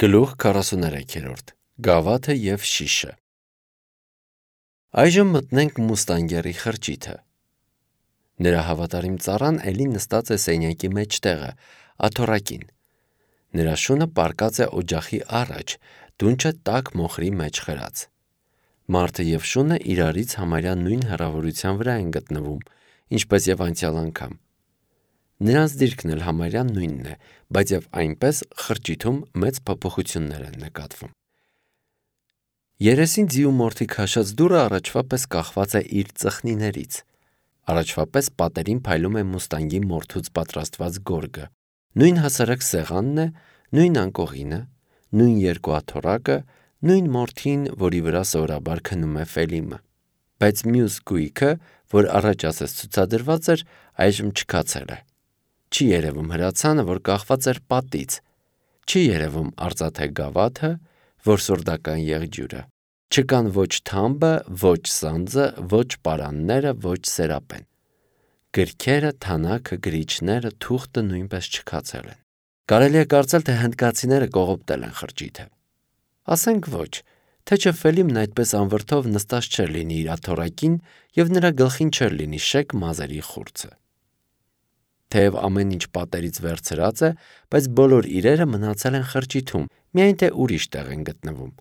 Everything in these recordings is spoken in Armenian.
Գլուխ 43 Գավաթը և շիշը Այժմ մտնենք Մուստանգերի խրճիթը։ Նրա հավատարիմ ծառան էլի նստած է սենյակի մեջտեղը, աթոռակին։ Նրա շունը պառկած է օջախի առաջ, դունչը տաք մոխրի մեջ խրած։ Մարդը և շունը իրարից համարյա նույն հեռավորության վրա են գտնվում, ինչպես և անցյալ անգամ։ Նրանց դիրքն էլ համարյա նույնն է, բայց և այնպես խրճիթում մեծ փոփոխություններ են նկատվում։ Երեսին ձիու մորթի քաշած դուռը առաջվա պես կախված է իր ծխնիներից։ Առաջվա պես պատերին փայլում է Մուստանգի մորթուց պատրաստված գորգը։ Նույն հասարակ սեղանն է, նույն անկողինը, նույն երկու աթոռակը, նույն մորթին, որի վրա սովորաբար քնում է Ֆելիմը։ Բայց մյուս գույքը, որ առաջ ասես ցուցադրված էր, այժմ չքացել է։ Չի երևում հրացանը, որ կախված էր պատից։ Չի երևում արծաթե գավաթը, որսորդական եղջյուրը։ Չկան ոչ թամբը, ոչ սանձը, ոչ պարանները, ոչ սերապեն։ Գրքերը, թանաքը, գրիչները, թուղթը նույնպես չքացել են։ Կարելի է կարծել, թե հնդկացիները կողոպտել են խրճիթը։ Ասենք ոչ, թե չէ Ֆելիմն այդպես անվրդով նստած չէր լինի իր աթոռակին և նրա գլխին չէր լինի շեկ մազերի խուրձը։ Թեև ամեն ինչ պատերից վերցրած է, բայց բոլոր իրերը մնացել են խրճիթում, միայն թե ուրիշ տեղ են գտնվում։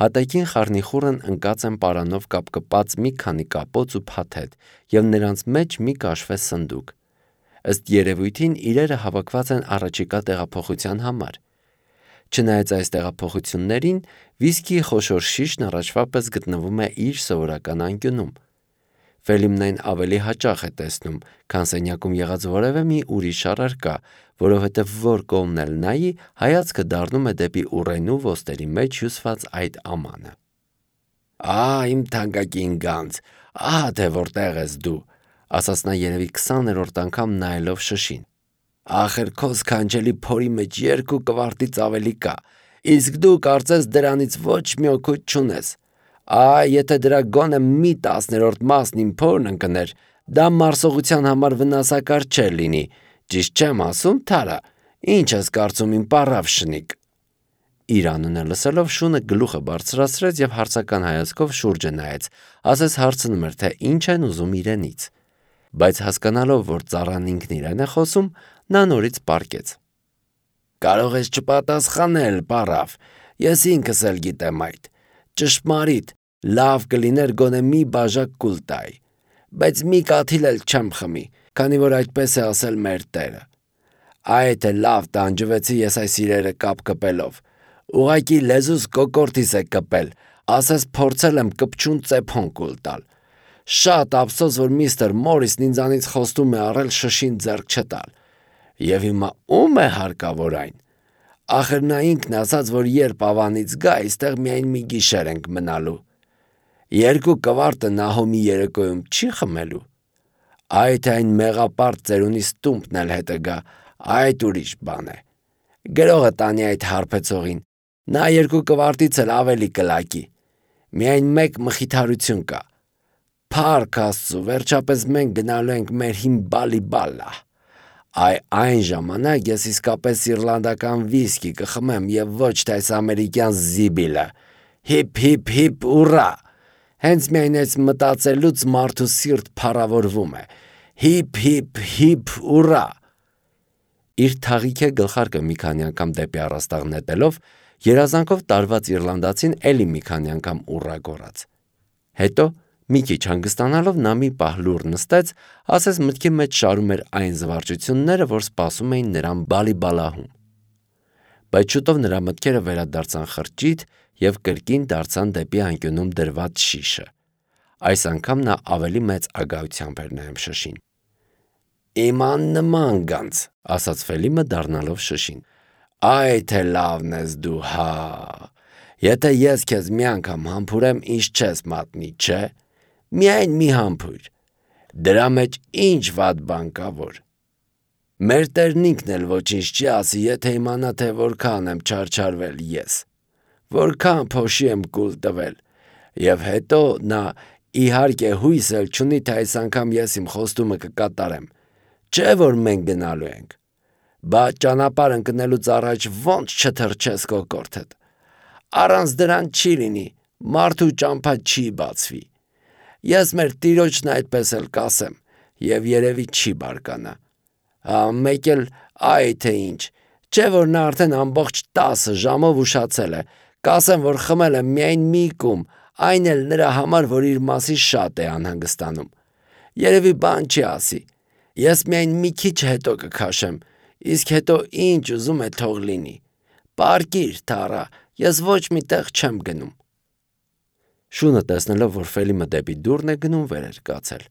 Հատակին խառնիխուռն ընկած են պարանով կապկպած մի քանի կապոց ու փաթեթ և նրանց մեջ մի կաշվե սնդուկ։ Ըստ երևույթին իրերը հավաքված են առաջիկա տեղափոխության համար։ Չնայած այս տեղափոխություններին, վիսկիի խոշոր շիշն առաջվա պես գտնվում է իր սովորական անկյունում։ Ֆելիմն այն ավելի հաճախ է տեսնում, քան սենյակում եղած որևէ մի ուրիշ առարկա, որովհետև որ կողմն էլ նայի, հայացքը դառնում է դեպի ուռենու ոսტերի մեջ հյուսված այդ ամանը։ Իմ թանկագին գանձ, ահա թե որտեղ ես դու, ասաց նա երևի 20-րդ անգամ նայելով շշին։ Ախր քո սքանչելի փորի մեջ 2 կվարտից ավելի կա, իսկ դու կարծես դրանից ոչ մի օգուտ չունես։ Եթե դրա գոնե մի 10-րդ մասն իմ փորն ընկներ, դա մարսողության համար վնասակար չէր լինի, ճիշտ չեմ ասում, Թարա, ինչ ես կարծում իմ պառավ շնիկ։ Իր անունը լսելով շունը գլուխը բարձրացրեց և հարցական հայացքով շուրջը նայեց, ասես հարցնում էր, թե ինչ են ուզում իրենից։ Բայց հասկանալով, որ ծառան ինքն իրեն է խոսում, նա նորից պառկեց։ Կարող ես չպատասխանել, պառավ, ես ինքս էլ գիտեմ այդ։ Ճշմարիտ, լավ կլիներ գոնե մի բաժակ կուլ տայի, բայց մի կաթիլ էլ չեմ խմի, քանի որ այդպես է ասել մեր Տերը։ Թե լավ տանջվեցի ես այս իրերը կապ կպելով։ Ուղղակի լեզուս կոկորդիս է կպել, ասես փորձել եմ կպչուն ծեփոն կուլ տալ։ Շատ ափսոս, որ միստր Մորիսն ինձանից խոստում է առել շշին ձեռք չտալ։ Եվ հիմա ո՞ւմ է հարկավոր այն։ Ախր նա ինքն ասաց, որ երբ ավանից գա, այստեղ միայն մի գիշեր ենք մնալու։ 2 կվարտը Նահոմի երեկոյում չի խմելու։ Թե այն մեղապարտ ծերունի ստումպն էլ հետը գա, այդ ուրիշ բան է։ Գրողը տանի այդ հարբեցողին, նա 2 կվարտից էլ ավելի կլակի։ Միայն մեկ մխիթարություն կա։ Փառք Աստծո, վերջապես մենք գնալու ենք մեր հին բալիբալլա։ Այն ժամանակ ես իսկապես իռլանդական վիսկի կխմեմ և ոչ թե այս ամերիկյան զիբիլը։ Հիփ, հիփ, հիփ, ուռա։ Հենց միայն այս մտածելուց մարդու սիրտ փառավորվում է։ Հիփ, հիփ, հիփ, ուռա։ Իր թաղիքե գլխարկը մի քանի անգամ դեպի առաստաղ նետելով, երազանքով տարված իռլանդացին էլի մի քանի անգամ ուռա գոռաց։ Հետո մի քիչ հանգստանալով նա մի պահ լուռ նստեց, ասես մտքի մեջ շարում էր այն զվարճությունները, որ սպասում էին նրան բալիբալահում։ Բայց շուտով նրա մտքերը վերադարձան խրճիթ և կրկին դարձան դեպի անկյունում դրված շիշը։ Այս անգամ նա ավելի մեծ ագահությամբ էր նայում շշին։ Իմ աննման գանձ, ասաց Ֆելիմը դառնալով շշին։ Թե լավն ես դու, հա։ Եթե ես քեզ մի անգամ համբուրեմ, ինձ չես մատնի, չէ։ Միայն մի համբույր։ Դրա մեջ ինչ վատ բան կա, որ։ Մեր Տերն ինքն էլ ոչինչ չի ասի, եթե իմանա, թե որքան եմ չարչարվել ես, որքան փոշի եմ կուլ տվել։ Եվ հետո նա իհարկե հույս էլ չունի, թե այս անգամ ես իմ խոստումը կկատարեմ։ Չէ՞ որ մենք գնալու ենք։ Բայց ճանապարհ ընկնելուց առաջ ոնց չթրջես կոկորդդ։ Առանց դրան չի լինի, մարդու ճամփա չի բացվի։ Ես մեր տիրոջն այդպես էլ կասեմ, եւ երևի չի բարկանա։ Մեկ էլ այ թե ինչ, չէ որ նա արդեն ամբողջ 10 ժամով ուշացել է, կասեմ, որ խմել եմ միայն մի կում, այն էլ նրա համար, որ իր մասի շատ է անհանգստանում։ Երևի բան չի ասի, ես միայն մի քիչ հետո կքաշեմ, իսկ հետո ինչ ուզում է թող լինի։ Պարկիր, Թարա, ես ոչ մի տեղ չեմ գնում։ Շունը տեսնելով, որ Ֆելիմը դեպի դուռն է գնում, վեր էր կացել։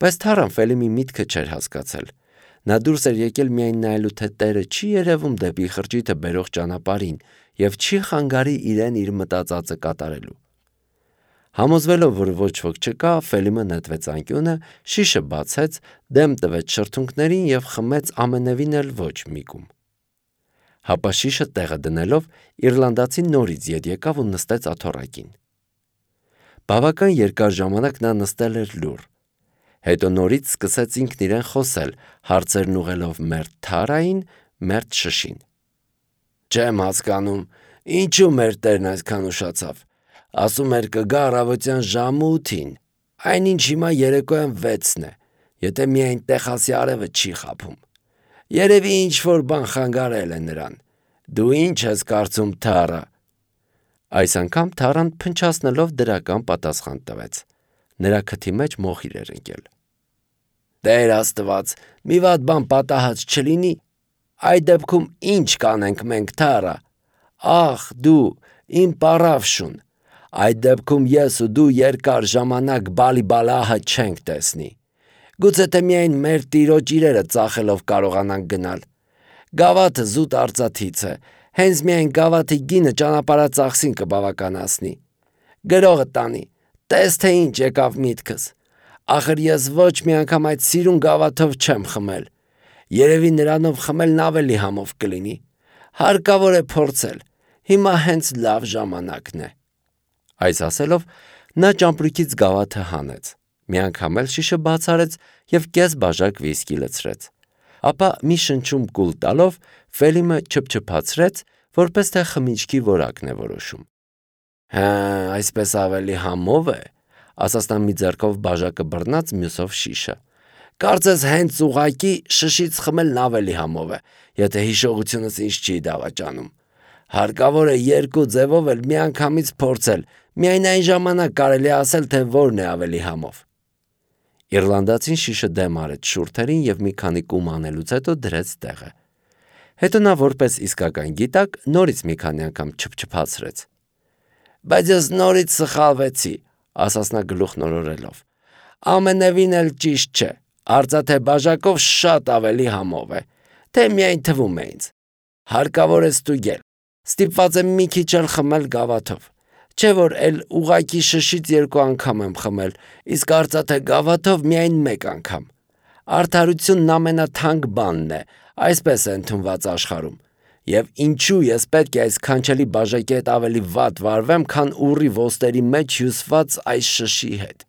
Բայց Թարան Ֆելիմի միտքը չէր հասկացել։ Նա դուրս էր եկել միայն նայելու, թե տերը չի երևում դեպի խրճիթը բերող ճանապարհին եւ չի խանգարի իրեն իր մտածածը կատարելու։ Համոզվելով, որ ոչ ոք չկա, Ֆելիմը նետվեց անկյունը, շիշը բացեց, դեմ տվեց շրթունքներին եւ խմեց ամենևին էլ ոչ մի կում։ Հապա շիշը տեղը դնելով, իռլանդացին նորից ետ եկավ ու նստեց աթոռակին։ Բավական երկար ժամանակ նա նստել էր լուռ։ Հետո նորից սկսեց ինքն իրեն խոսել, հարցերն ուղղելով մերթ Թարային, մերթ շշին։ Չեմ հասկանում, ինչու մեր տերն այսքան ուշացավ։ Ասում էր կգա առավոտյան ժամը 8-ին, այնինչ հիմա երեկոյան 6-ն է, եթե միայն Տեխասի արևը չի խաբում։ Երևի ինչ-որ բան խանգարել է նրան։ Դու ինչ ես կարծում, Թարա։ Այս անգամ Թարան փնչացնելով դրական պատասխան տվեց։ Նրա քթի մեջ մոխիր էր ընկել։ Տեր Աստված, մի վատ բան պատահած չլինի։ Այդ դեպքում ինչ կանենք մենք, Թարա։ Ախ, դու, իմ պարավ Շուն։ Այդ դեպքում ես ու դու երկար ժամանակ բալիբալահը չենք տեսնի։ Գուցե թե միայն մեր տիրոջ իրերը ծախելով կարողանանք գնալ։ Գավաթը զուտ արծաթից է, հենց միայն գավաթի գինը ճանապարհածախսին կբավականացնի։ Գրողը տանի, տես թե ինչ եկավ միտքս։ Ախր ես ոչ մի անգամ այդ սիրուն գավաթով չեմ խմել։ Երևի նրանով խմելն ավելի համով կլինի։ Հարկավոր է փորձել։ Հիմա հենց լավ ժամանակն է։ Այս ասելով նա ճամպրուկից գավաթը հանեց, մի անգամ էլ շիշը բաց արեց եւ կես բաժակ վիսկի լցրեց։ Ապա մի շնչում կուլ տալով Ֆելիմը չփչփացրեց, որպես թե խմիչքի որակն է որոշում։ Հա, այսպես ավելի համով է, ասաց նա մի ձեռքով բաժակը բռնած, մյուսով շիշը։ Կարծես հենց ուղակի շշից խմելն ավելի համով է, եթե հիշողությունս ինձ չի դավաճանում։ Հարկավոր է երկու ձևով էլ միանգամից փորձել, միայն այն ժամանակ կարելի է ասել, թե որն է ավելի համով։ Իռլանդացին շիշը դեմ արեց շուրթերին եւ մի քանի կում անելուց հետո դրեց տեղը։ Հետո նա որպես իսկական գիտակ նորից մի քանի անգամ չփչփացրեց։ Բայց ես նորից սխալվեցի, ասաց նա գլուխ նորորելով։ Ամենևին էլ ճիշտ չէ, արծաթե բաժակով շատ ավելի համով է, թե միայն թվում է ինձ։ Հարկավոր է ստուգել, ստիպված եմ մի քիչ էլ խմել գավաթով։ Չէ որ էլ ուղակի շշից 2 անգամ եմ խմել, իսկ արծաթե գավաթով միայն 1 անգամ։ Արդարությունն ամենաթանկ բանն է, այսպես է ընդունված աշխարհում։ Եվ ինչու ես պետք է այս քանչելի բաժակի հետ ավելի վատ վարվեմ, քան ուռի ոստերի մեջ հյուսված այս շշի հետ։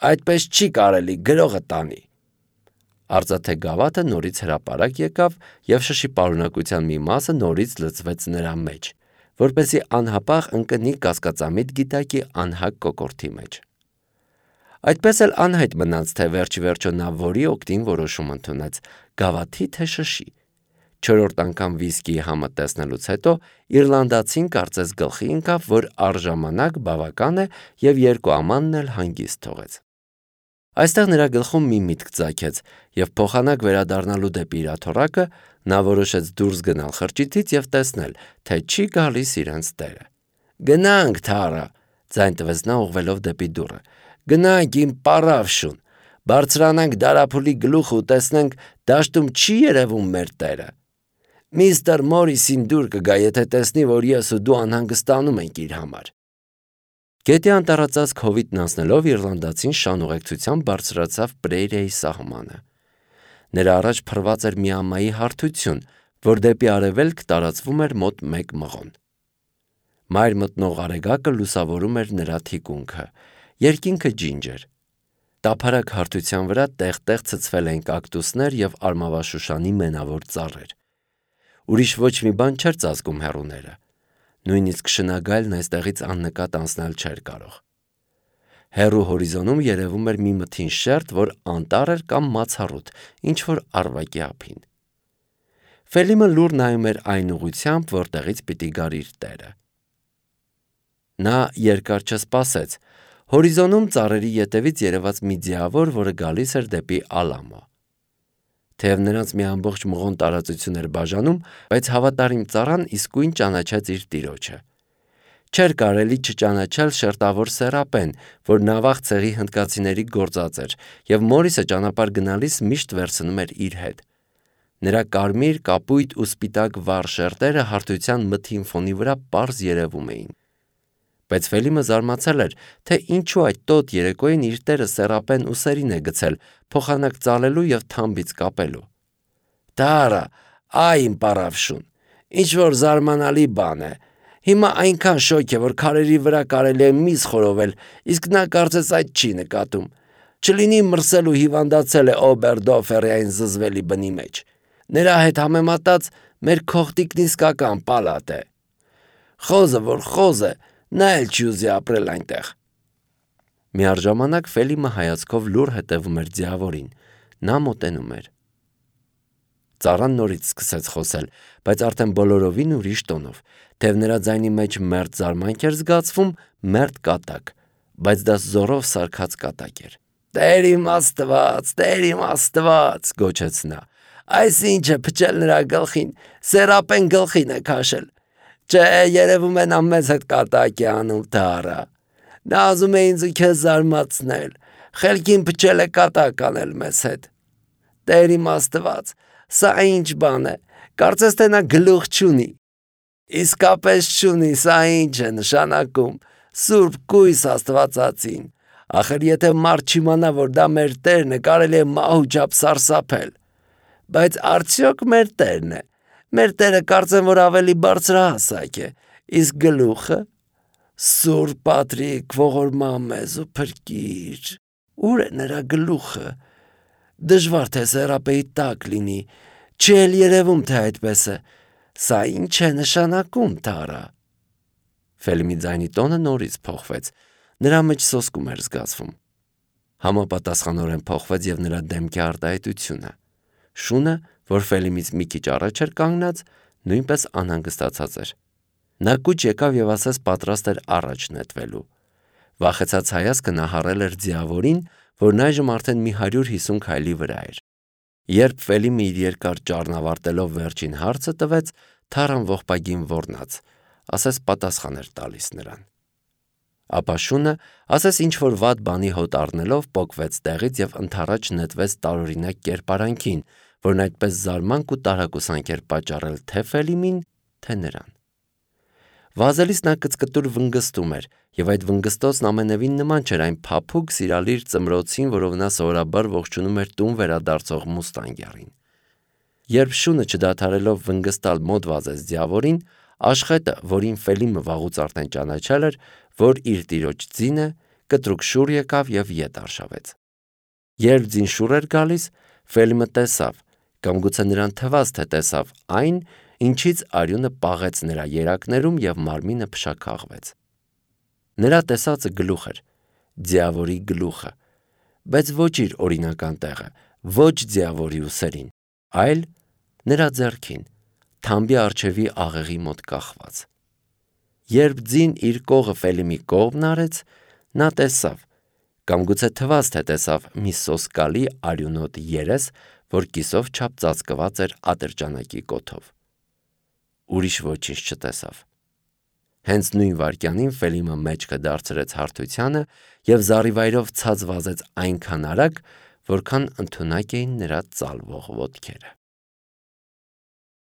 Այդպես չի կարելի, գրողը տանի։ Արծաթե գավաթը նորից հրապարակ եկավ եւ շշի պարունակության մի մասը նորից լցվեց նրա մեջ, որպեսզի անհապաղ ընկնի կասկածամիտ գիտակի անհակ կոկորդի մեջ։ Այդպես էլ անհայտ մնաց, թե վերջիվերջո նա որի օգտին որոշում ընդունեց՝ գավաթի թե շշի։ 4-րդ անգամ վիսկիի համը տեսնելուց հետո իռլանդացին կարծես գլխի ընկավ, որ առժամանակ բավական է եւ 2 ամանն էլ հանգիստ թողեց։ Այստեղ նրա գլխում մի միտք ծագեց եւ փոխանակ վերադառնալու դեպի իր աթոռակը նա որոշեց դուրս գնալ խրճիթից եւ տեսնել, թե չի գալիս իրենց տերը։ Գնանք, Թարա, ձայն տվեց նա ուղղվելով դեպի դուռը։ Գնանք, իմ պարավ Շուն, բարձրանանք դարափուլի գլուխը ու տեսնենք դաշտում չի երևում մեր տերը։ Միստր Մորիսին դուր կգա, եթե տեսնի, որ ես ու դու անհանգստանում ենք իր համար։ Գետի անտառածածկ հովիտն անցնելով իռլանդացին շան ուղեկցությամբ բարձրացավ Պրեիրիայի սահմանը։ Նրա առաջ փռված էր մի ամայի հարթություն, որ դեպի արևելք տարածվում էր մոտ 1 մղոն։ Մայր մտնող արեգակը լուսավորում էր նրա թիկունքը, երկինքը ջինջ էր։ Տափարակ հարթության վրա տեղ-տեղ ցցվել էին կակտուսներ և արմավաշուշանի մենավոր ծառեր։ Ուրիշ ոչ մի բան չէր ծածկում հեռուները։ Նույնիսկ շնագայլն այստեղից աննկատ անցնել չէր կարող։ Հեռու հորիզոնում երևում էր մի մթին շերտ, որ անտառ էր կամ մացառուտ, ինչ-որ առվակի ափին։ Ֆելիմը լուռ նայում էր այն ուղղությամբ, որտեղից պիտի գար իր տերը։ Նա երկար չսպասեց։ Հորիզոնում ծառերի ետևից երևաց մի ձիավոր, որը գալիս էր դեպի Ալամո։ Թեև նրանց մի ամբողջ մղոն տարածություն էր բաժանում, բայց հավատարիմ ծառան իսկույն ճանաչեց իր տիրոջը։ Չէր կարելի չճանաչել շերտավոր սեռապեն, որ նավախ ցեղի հնդկացիների գործած էր, և Մորիսը ճանապարհ գնալիս միշտ վերցնում էր իր հետ։ Նրա կարմիր, կապույտ ու սպիտակ վառ շերտերը հարթության մթին ֆոնի վրա պարզ երևում էին։ Բայց Ֆելիմը զարմացել էր, թե ինչու այդ տոտ երեկոյին իր տերը սեռապեն ու սերին է գցել, փոխանակ ծալելու և թամբից կապելու։ «Դա այ իմ պառավշուն, ինչ-որ զարմանալի բան է։ Հիմա այնքան շոգ է, որ քարերի վրա կարելի է միս խորովել, իսկ նա կարծես այդ չի նկատում։ Չլինի մրսել ու հիվանդացել է Օբերդոֆերային զզվելի բնի մեջ։ Նրա հետ համեմատած մեր քողտիկն իսկական պալատ է։ Խոզը, որ խոզ է, նա էլ չի ուզի ապրել այնտեղ»։ Միառժամանակ Ֆելիմը հայացքով լուռ հետևում էր ձիավորին։ Նա մոտենում էր։ Ծառան նորից սկսեց խոսել, բայց արդեն բոլորովին ուրիշ տոնով, թեև նրա ձայնի մեջ մերթ զարմանք էր զգացվում, մերթ կատակ, բայց դա զոռով սարքած կատակ էր։ «Տեր իմ Աստված», գոչեց նա։ «Այս ինչ է փչել նրա գլխին, սեռապեն գլխին է քաշել։ Չէ, երևում է նա մեզ հետ կատակ է անում, Թարա։ Նա ուզում է ինձ ու քեզ զարմացնել, խելքին փչել է կատակ անել մեզ հետ։ Տեր իմ Աստված, սա ինչ բան է, կարծես թե նա գլուխ չունի։ Իսկապես չունի, սա ինչ է նշանակում, Սուրբ կույս Աստվածածին։ Ախր եթե մարդ չիմանա, որ դա մեր Տերն է, կարելի է մահու չափ սարսափել։ Բայց արդյոք մեր Տերն է։ Մեր Տերը կարծեմ, որ ավելի բարձրահասակ է, իսկ գլուխը։ Սուրբ Պատրիկ, ողորմա մեզ ու փրկիր։ Ուր է նրա գլուխը։ Դժվար թե սեռապեի տակ լինի, չի էլ երևում, թե այդպես է։ Սա ինչ է նշանակում, Թարա։ Ֆելիմի ձայնի տոնը նորից փոխվեց։ Նրա մեջ սոսկում էր զգացվում։ Համապատասխանորեն փոխվեց և նրա դեմքի արտահայտությունը։ Շունը, որ Ֆելիմից մի քիչ առաջ էր կանգնած, նույնպես անհանգստացած էր։ Նա կուչ եկավ և ասես պատրաստ էր առաջ նետվելու։ Վախեցած հայացքը նա հառել էր ձիավորին, որն այժմ արդեն մի 150 քայլի վրա էր։ Երբ Ֆելիմը իր երկար ճառն ավարտելով վերջին հարցը տվեց, Թարան ողբագին ոռնաց, ասես պատասխան էր տալիս նրան։ Ապա շունը, ասես ինչ-որ վատ բանի հոտ առնելով, պոկվեց տեղից և ընդառաջ նետվեց տարօրինակ կերպարանքին, որն այդպես զարմանք ու տարակուսանք էր պատճառել թե Ֆելիմին, թե նրան։ Վազելիս նա կծկտուր վնգստում էր, և այդ վնգստոցն ամենևին նման չէր այն փափուկ սիրալիր ծմրոցին, որով նա սովորաբար ողջունում էր տուն վերադարձող մուստանգերին։ Երբ շունը չդադարելով վնգստալ մոտ վազեց ձիավորին, աշխետը, որին Ֆելիմը վաղուց արդեն ճանաչել էր, որ իր տիրոջ ձին է, կտրուկ շուռ եկավ և ետ արշավեց։ Երբ ձին շուռ էր գալիս, Ֆելիմը տեսավ, կամ գուցե նրան թվաց, թե տեսավ այն, ինչից արյունը պաղեց նրա երակներում և մարմինը փշաքաղվեց։ Նրա տեսածը գլուխ էր, ձիավորի գլուխը, բայց ոչ իր օրինական տեղը, ոչ ձիավորի ուսերին, այլ նրա ձեռքին, թամբի առջևի աղեղի մոտ կախված։ Երբ ձին իր կողը Ֆելիմի կողմն արեց, նա տեսավ, կամ գուցե թվաց, թե տեսավ մի սոսկալի արյունոտ երես, որ կիսով չափ ծածկված էր ատրճանակի կոթով։ Ուրիշ ոչինչ չտեսավ։ Հենց նույն վայրկյանին Ֆելիմը մեջքը դարձրեց հարթությանը և զառիվայրով ցած վազեց այնքան արագ, որքան ընդունակ էին նրա ծալվող ոտքերը։